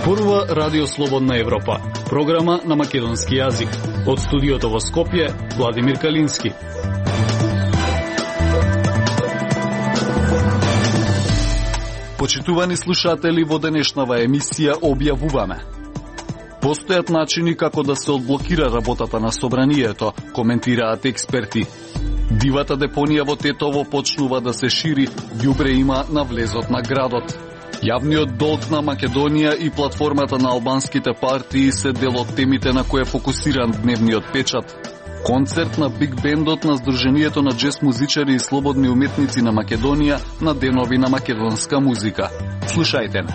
Зборува Радио Слободна Европа, програма на македонски јазик. Од студиото во Скопје, Владимир Калински. Почитувани слушатели, во денешнава емисија објавуваме: постојат начини како да се одблокира работата на собранието, коментираат експерти. Дивата депонија во Тетово почнува да се шири, ѓубре има на влезот на градот. Јавниот долг на Македонија и платформата на албанските партии се дел од темите на кои е фокусиран дневниот печат. Концерт на Биг Бендот на Сдруженијето на джез музичари и слободни уметници на Македонија на денови на македонска музика. Слушајте ме.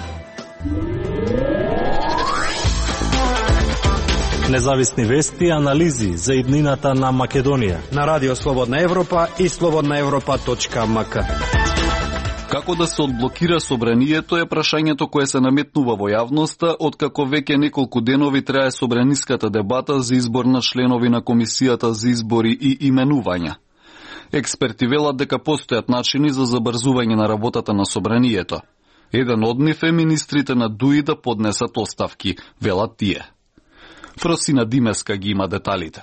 Независни вести и анализи за иднината на Македонија на Радио Слободна Европа и slobodnaevropa.mk. Како да се одблокира собранието е прашањето кое се наметнува во јавноста, откако веќе неколку денови трае собраниската дебата за избор на членови на Комисијата за избори и именувања. Експерти велат дека постојат начини за забрзување на работата на собранието. Еден од нив е министрите на ДУИ да поднесат оставки, велат тие. Фросина Димеска ги има деталите.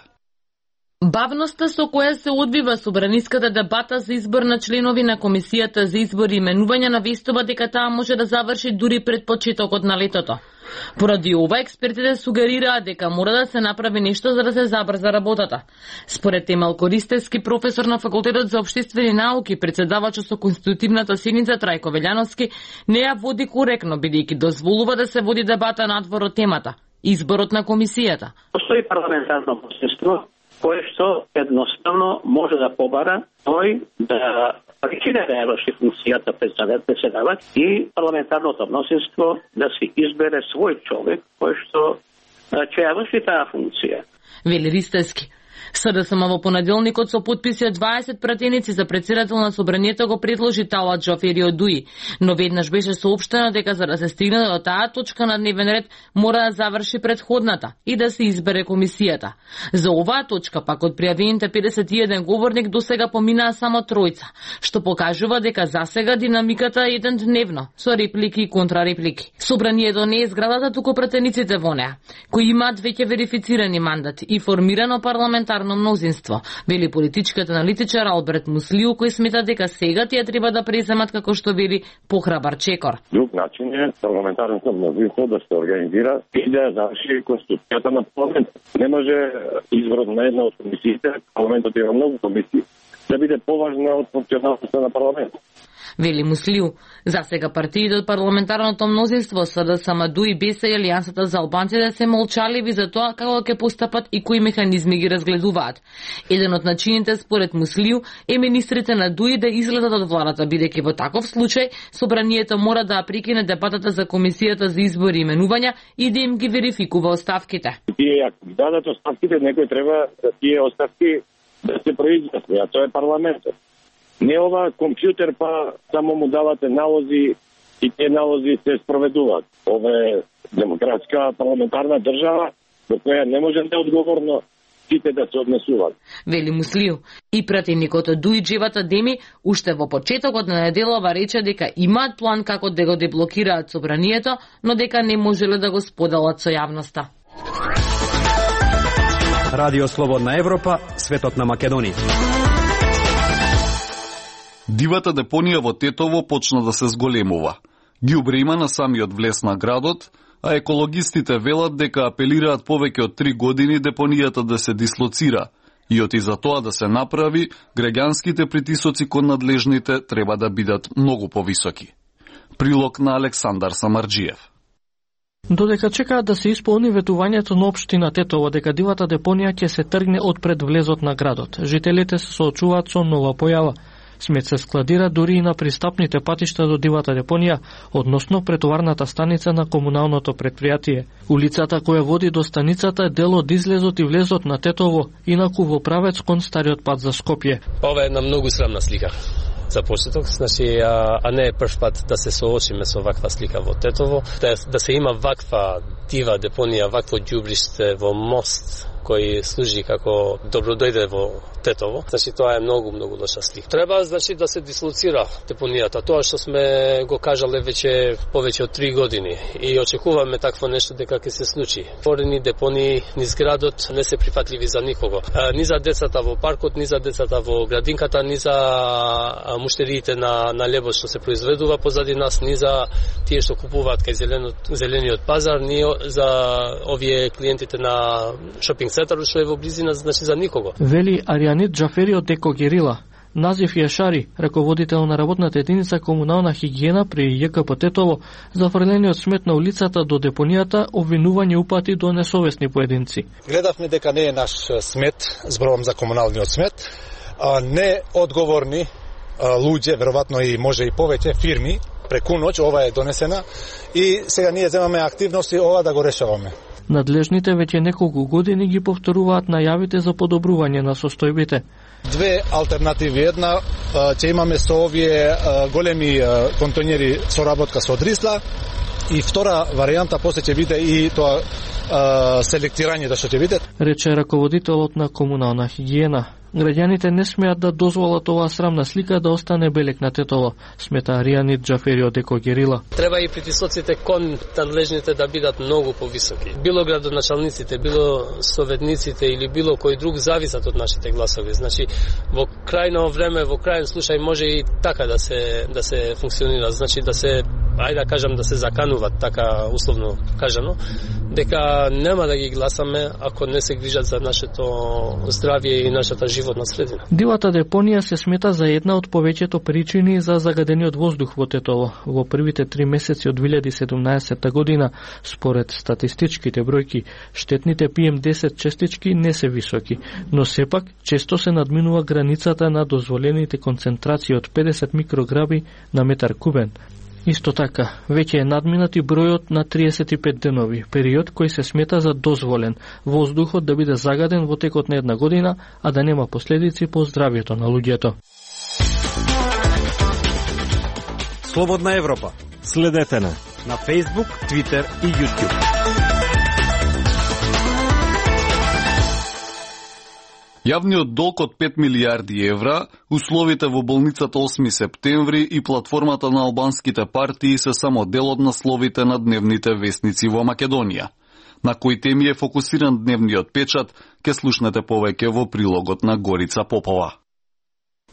Бавноста со која се одвива собраниската дебата за избор на членови на Комисијата за избори и именувања навестува дека таа може да заврши дури пред почетокот на летото. Поради ова, експертите сугерираат дека мора да се направи нешто за да се забрза работата. Според Емел Користевски, професор на Факултетот за општествени науки, председавач со конститутивната седница Трајко Велјановски, не ја води коректно, бидејќи дозволува да се води дебата надвор од темата – изборот на комисијата. Постои парламентарно посредство кое што едноставно може да побара тој да прекине да ја врши функцијата председавач и парламентарното мнозинство да си избере свој човек кој што ќе ја врши таа функција. Вели Ристевски. СДСМ во понеделникот со потписи од 20 пратеници за председател на собранието го предложи Талат Џофери од ДУИ, но веднаш беше соопштено дека за да се стигне до таа точка на дневен ред мора да заврши предходната и да се избере комисијата. За оваа точка пак од пријавените 51 говорник досега поминаа само тројца, што покажува дека засега динамиката е еден дневно, со реплики и контрареплики. Собранието не е зградата, туку пратениците во неа, кои имаат веќе верифицирани мандати и формирано парламентарно мнозинство, вели политичкиот аналитичар Алберт Муслиу, кој смета дека сега тие треба да преземат, како што вели, похрабар чекор. Друг начин е парламентарното мнозинство да се организира и да заврши конституцијата на парламентот. Не може изборот на една од комисиите, парламентот има многу комисии, да биде поважна од функционалноста на парламентот. Вели Муслиу. Засега партиите од парламентарното мнозинство СДСМ, ДУИ, БЕСА и Алијансата за албанците се молчаливи за тоа како ќе постапат и кои механизми ги разгледуваат. Еден од начините според Муслиу е министрите на ДУИ да излезат од владата, бидејќи во таков случај собранието мора да прекине дебатата за Комисијата за избори и именувања и да им ги верификува оставките. Тие ако дадат оставките, некој треба да тие оставки да се произнесе, а тоа е парламентот. Не ова компјутер па само му давате налози и тие налози се спроведуваат. Ова е демократска парламентарна држава во која не може неодговорно сите да се однесуваат. Вели Муслиу. И пратеникот од ДУИ Джевата Деми уште во почетокот на неделава рече дека имаат план како да го деблокираат собранието, но дека не можеле да го споделат со јавноста. Радио Слободна Европа, светот на Македонија. Дивата депонија во Тетово почна да се зголемува. Ѓубре има на самиот влез на градот, а екологистите велат дека апелираат повеќе од 3 години депонијата да се дислоцира и оти за тоа да се направи, граѓанските притисоци кон надлежните треба да бидат многу повисоки. Прилог на Александар Самарџиев. Додека чекаат да се исполни ветувањето на општина Тетово дека дивата депонија ќе се тргне од пред влезот на градот, жителите се соочуваат со нова појава. Смет се складира дури и на пристапните патишта до дивата депонија, односно претоварната станица на комуналното предпријатие. Улицата која води до станицата е дел од излезот и влезот на Тетово, инаку во правец кон стариот пат за Скопје. Ова е една многу срамна слика за почеток, значи, а не е прв пат да се соочиме со ваква слика во Тетово, да се има ваква дива депонија, вакво ѓубриште во мост кој служи како добродојде во Тетово. Значи тоа е многу лоша слика. Треба значи да се дислоцира депонијата. Тоа што сме го кажале веќе повеќе од 3 години и очекуваме такво нешто дека ќе се случи. Отворени депонии низ градот не се прифатливи за никого. Ни за децата во паркот, ни за децата во градинката, ни за муштериите на лебот што се произведува позади нас, ни за тие што купуваат кај зелениот пазар, ни за овие клиентите на шопинг центарот што е во близина, значи за никого. Вели Аријанит Џафери од Деко Герила. Назив Јашари, раководител на работната единица комунална хигиена при ЈКП Тетово, за фрлениот смет на улицата до депонијата, обвинување упати до несовесни поединци. Гледавме дека не е наш смет, зборувам за комуналниот смет, неодговорни луѓе, веројатно и може и повеќе фирми, преку ноќ ова е донесена и сега ние земаме активности ова да го решаваме. Надлежните веќе неколку години ги повторуваат најавите за подобрување на состојбите. Две алтернативи. Една, ќе имаме со овие големи контейнери со работка со дрисла и втора варијанта после ќе биде и тоа селектирање да што ќе биде. Рече раководителот на комунална хигиена. Граѓаните не смеат да дозволат оваа срамна слика да остане белек на Тетово, смета Аријанит Џафери од Деко Герила. Треба и притисоците кон надлежните да бидат многу повисоки. Било градоначалниците, било советниците или било кој друг зависат од нашите гласови. Значи во крајно време, во крајен случај може и така да се функционира, значи да се да кажам да се закануваат така условно кажано, дека нема да ги гласаме ако не се грижат за нашето здравје и нашата животна средина. Дивата депонија се смета за една од повеќето причини за загадениот воздух во Тетово. Во првите 3 месеци од 2017 година, според статистичките бројки, штетните PM10 честички не се високи, но сепак често се надминува границата на дозволените концентрации од 50 микрограми на метар кубен. Исто така, веќе е надминат и бројот на 35 денови, период кој се смета за дозволен, воздухот да биде загаден во текот на една година, а да нема последици по здравјето на луѓето. Слободна Европа. Следете на Facebook, Twitter и YouTube. Јавниот долг од 5 милијарди евра, условите во болницата 8 септември и платформата на албанските партии се само дел од насловите на дневните вестници во Македонија. На кои теми е фокусиран дневниот печат, ке слушнете повеќе во прилогот на Горица Попова.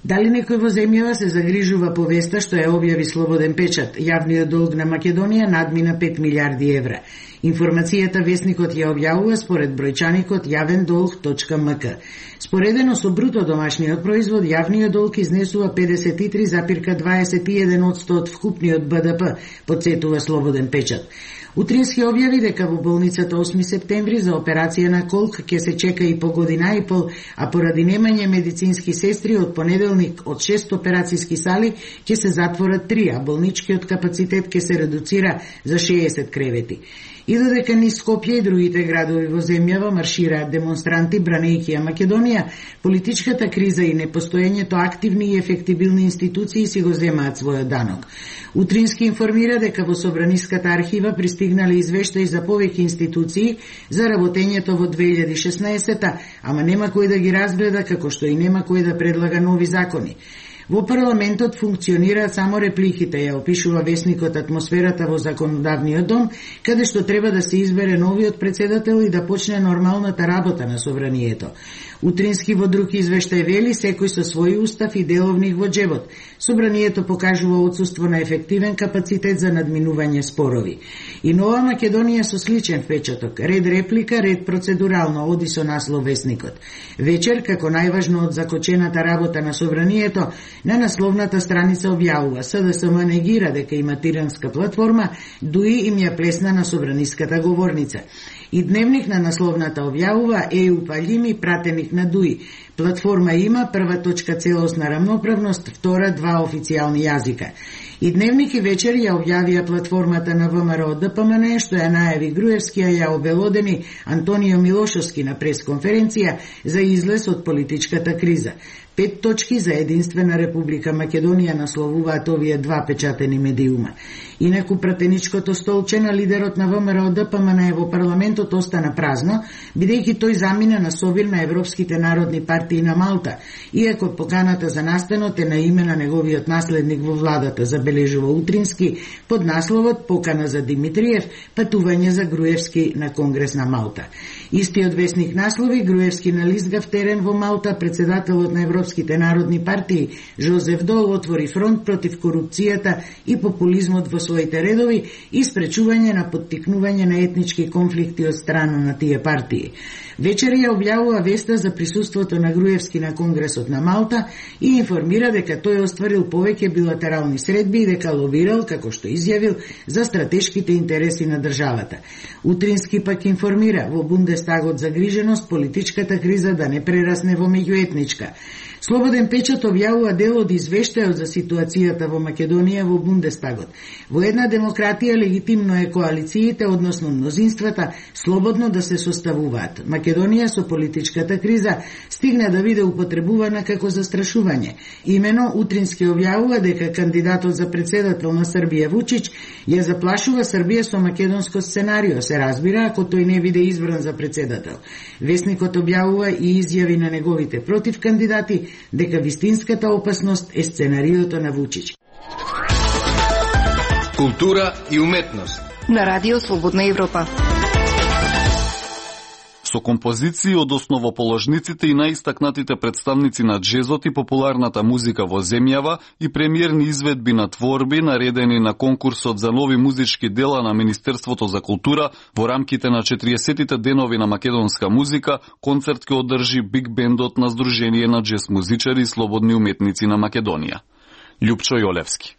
Дали некој во земјава се загрижува по веста што ја објави Слободен печат? Јавниот долг на Македонија надмина 5 милијарди евра. Информацијата вестникот ја објавува според бројчаникот јавендолг.мк. Споредено со бруто домашниот производ, јавниот долг изнесува 53,21% од вкупниот БДП, подсетува Слободен печат. Утрински објави дека во болницата 8 септември за операција на колк ќе се чека и по година и пол, а поради немање медицински сестри од понеделник од 6 операцијски сали ќе се затворат 3, а болничкиот капацитет ќе се редуцира за 60 кревети. И додека низ Скопје и другите градови во земјава маршираат демонстранти бранејќи ја Македонија, политичката криза и непостоењето активни и ефектибилни институции си го земаат својот данок. Утрински информира дека во Собраниската архива пристигнале извештаи за повеќе институции за работењето во 2016-та, ама нема кој да ги разгледа, како што и нема кој да предлага нови закони. Во парламентот функционираат само репликите, ја опишува вестникот атмосферата во законодавниот дом, каде што треба да се избере новиот председател и да почне нормалната работа на собранието. Утрински во друг извештај вели секој со свој устав и деловник во джебот. Собранието покажува отсуство на ефективен капацитет за надминување спорови. И Нова Македонија со сличен впечаток, ред реплика, ред процедурално, оди со наслов вестникот. Вечер, како најважно од закочената работа на собранието, на насловната страница објавува СДСМ негира дека има тиранска платформа, дуи им ја плесна на собраниската говорница. И дневник на насловната објавува ЕУ палими пратеник на ДУИ. Платформа има, прва точка целосна рамноправност, втора два официјални јазика. И Дневник и вечер ја објавија платформата на ВМРО ДПМН, што ја најави Груевски, а ја обелодени Антонио Милошовски на пресконференција за излез од политичката криза. 5 точки за единствена Република Македонија насловуваат овие два печатени медиума. Инаку пратеничкото столче на лидерот на ВМРО ДПМН во парламентот остана празно, бидејќи тој замина на собир на европските народни партии на Малта, иако поканата за настанот е на име на неговиот наследник во владата, забележува Утрински под насловот Покана за Димитриев, патување за Груевски на Конгрес на Малта. Истиот весник наслови Груевски на лизгав терен во Малта, председателот на европските народни партии Жозеф Дол отвори фронт против корупцијата и популизмот во своите редови и спречување на поттикнување на етнички конфликти од страна на тие партии. Вечер ја објавува веста за присуството на Груевски на Конгресот на Малта и информира дека тој остварил повеќе билатерални средби и дека лобирал, како што изјавил, за стратешките интереси на државата. Утрински пак информира во Бундестагот загриженост политичката криза да не прерасне во меѓуетничка. Слободен печат објавува дел од извештајот за ситуацијата во Македонија во Бундестагот. Во една демократија легитимно е коалициите, односно мнозинствата, слободно да се составуваат. Македонија со политичката криза стигна да биде употребувана како застрашување. Имено Утрински објавува дека кандидатот за председател на Србија Вучич ја заплашува Србија со македонско сценарио, се разбира ако тој не биде избран за председател. Весникот објавува и изјави на неговите против кандидати дека вистинската опасност е сценариото на Вучич. Култура и уметност на Радио Слободна Европа. Со композиции од основоположниците и најистакнатите представници на джезот и популарната музика во земјава и премиерни изведби на творби наредени на конкурсот за нови музички дела на Министерството за култура во рамките на 40-тите денови на македонска музика, концерт ќе одржи Биг бендот на Сдружение на джез музичари и слободни уметници на Македонија. Љупчо Јолевски.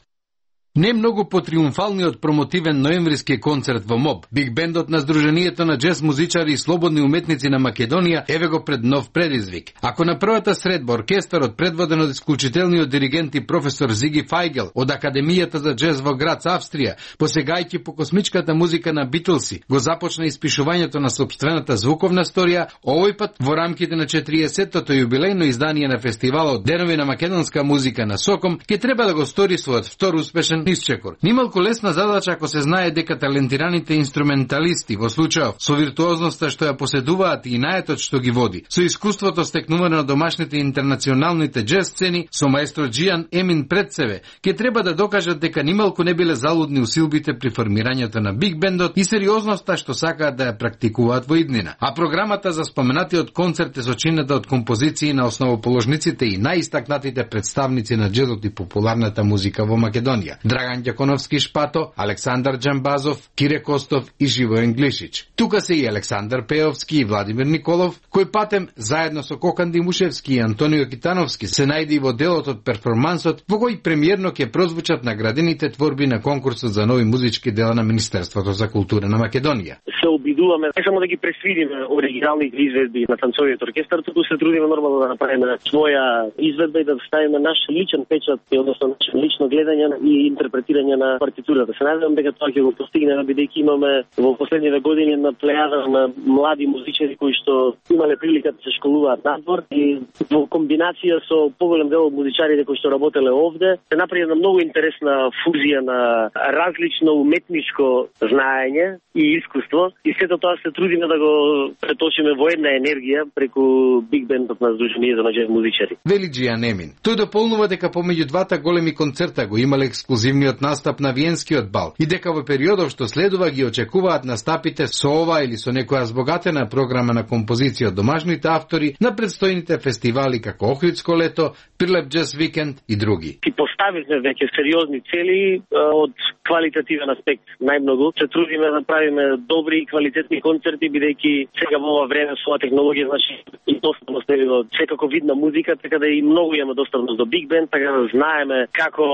Не многу потриумфалниот промотивен ноемвриски концерт во МОБ, Биг бендот на Сдруженијето на джез музичари и слободни уметници на Македонија еве го пред нов предизвик. Ако на првата средба оркестарот предводен од исклучителниот диригент и професор Зиги Фајгел од Академијата за джез во Грац, Австрија, посегајќи по космичката музика на Битлси, го започна испишувањето на сопствената звуковна сторија, овој пат во рамките на 40-тото јубилејно издание на фестивалот Денови на македонска музика на Соком, ќе треба да го стори својот втор успешен исчекор. Нималку лесна задача ако се знае дека талентираните инструменталисти во случајов со виртуозноста што ја поседуваат и наетот што ги води, со искуството стекнувано на домашните интернационалните джез сцени, со маестро Джијан Емин пред себе, ќе треба да докажат дека нималку не биле залудни усилбите при формирањето на Биг бендот и сериозноста што сакаат да ја практикуваат во иднина. А програмата за споменатиот концерт е сочинета од композиции на основоположниците и најистакнатите представници на джезот и популарната музика во Македонија. Драган Ѓаконовски Шпато, Александар Џамбазов, Кире Костов и Живоен Глишич. Тука се и Александар Пеовски и Владимир Николов, кој патем заедно со Кокан Димушевски и Антонио Китановски се најде во делот од перформансот во кој премиерно ќе прозвучат наградените творби на конкурсот за нови музички дела на Министерството за култура на Македонија. Се обидуваме не само да ги пресвидиме оригиналните изведби на танцовиот оркестар, туку се трудиме нормално да направиме своја изведба и да ставиме наш личен печат, односно лично гледање и интерпретирање на партитурата. Се надевам дека тоа ќе го постигнеме, бидејќи имаме во последните години на плејада на млади музичари кои што имале прилика да се школуваат надвор и во комбинација со поголем дел од музичарите кои што работеле овде, се направи една многу интересна фузија на различно уметничко знаење и искуство и сето тоа се трудиме да го преточиме во една енергија преку Биг бендот на Сдруженијето на джез музичари. Вели Джијан Емин. Тој дополнува дека помеѓу двата големи концерта го имале ексклузивниот настап на Виенскиот бал и дека во периодов што следува ги очекуваат настапите со ова или со некоја збогатена програма на композиција од домашните автори на предстојните фестивали како Охридско лето, Прилеп джез викенд и други. Ти поставивме веќе сериозни цели од квалитативен аспект најмногу. Се трудиме да правиме добри и квалитетни концерти, бидејќи сега во ова време со технологија, значи и достапност до секако видна музика, така да и многу имаме достапност до Биг бенд, така да знаеме како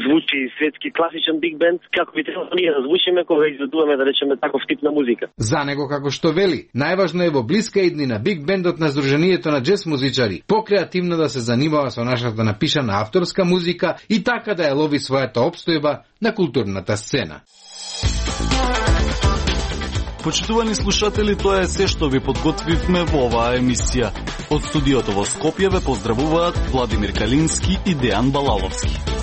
звучи светски класичен биг бенд, како би требало ние да звучиме кога изведуваме, да речеме, таков тип на музика. За него, како што вели, најважно е во блиска иднина биг бендот на Сдруженијето на джез музичари покреативно да се занимава со нашата напишана авторска музика и така да ја лови својата опстојба на културната сцена. Почитувани слушатели, тоа е се што ви подготвивме во оваа емисија. Од студиото во Скопје ве поздравуваат Владимир Калински и Дејан Балаловски.